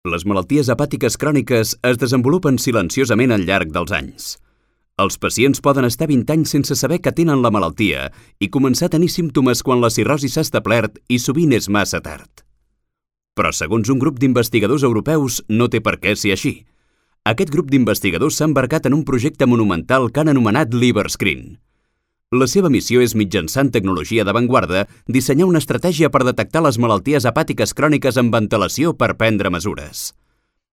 Les malalties hepàtiques cròniques es desenvolupen silenciosament al llarg dels anys. Els pacients poden estar 20 anys sense saber que tenen la malaltia i començar a tenir símptomes quan la cirrosi s'ha establert i sovint és massa tard. Però segons un grup d'investigadors europeus no té per què ser així. Aquest grup d'investigadors s'ha embarcat en un projecte monumental que han anomenat LiverScreen. La seva missió és, mitjançant tecnologia d'avantguarda, dissenyar una estratègia per detectar les malalties hepàtiques cròniques amb antelació per prendre mesures.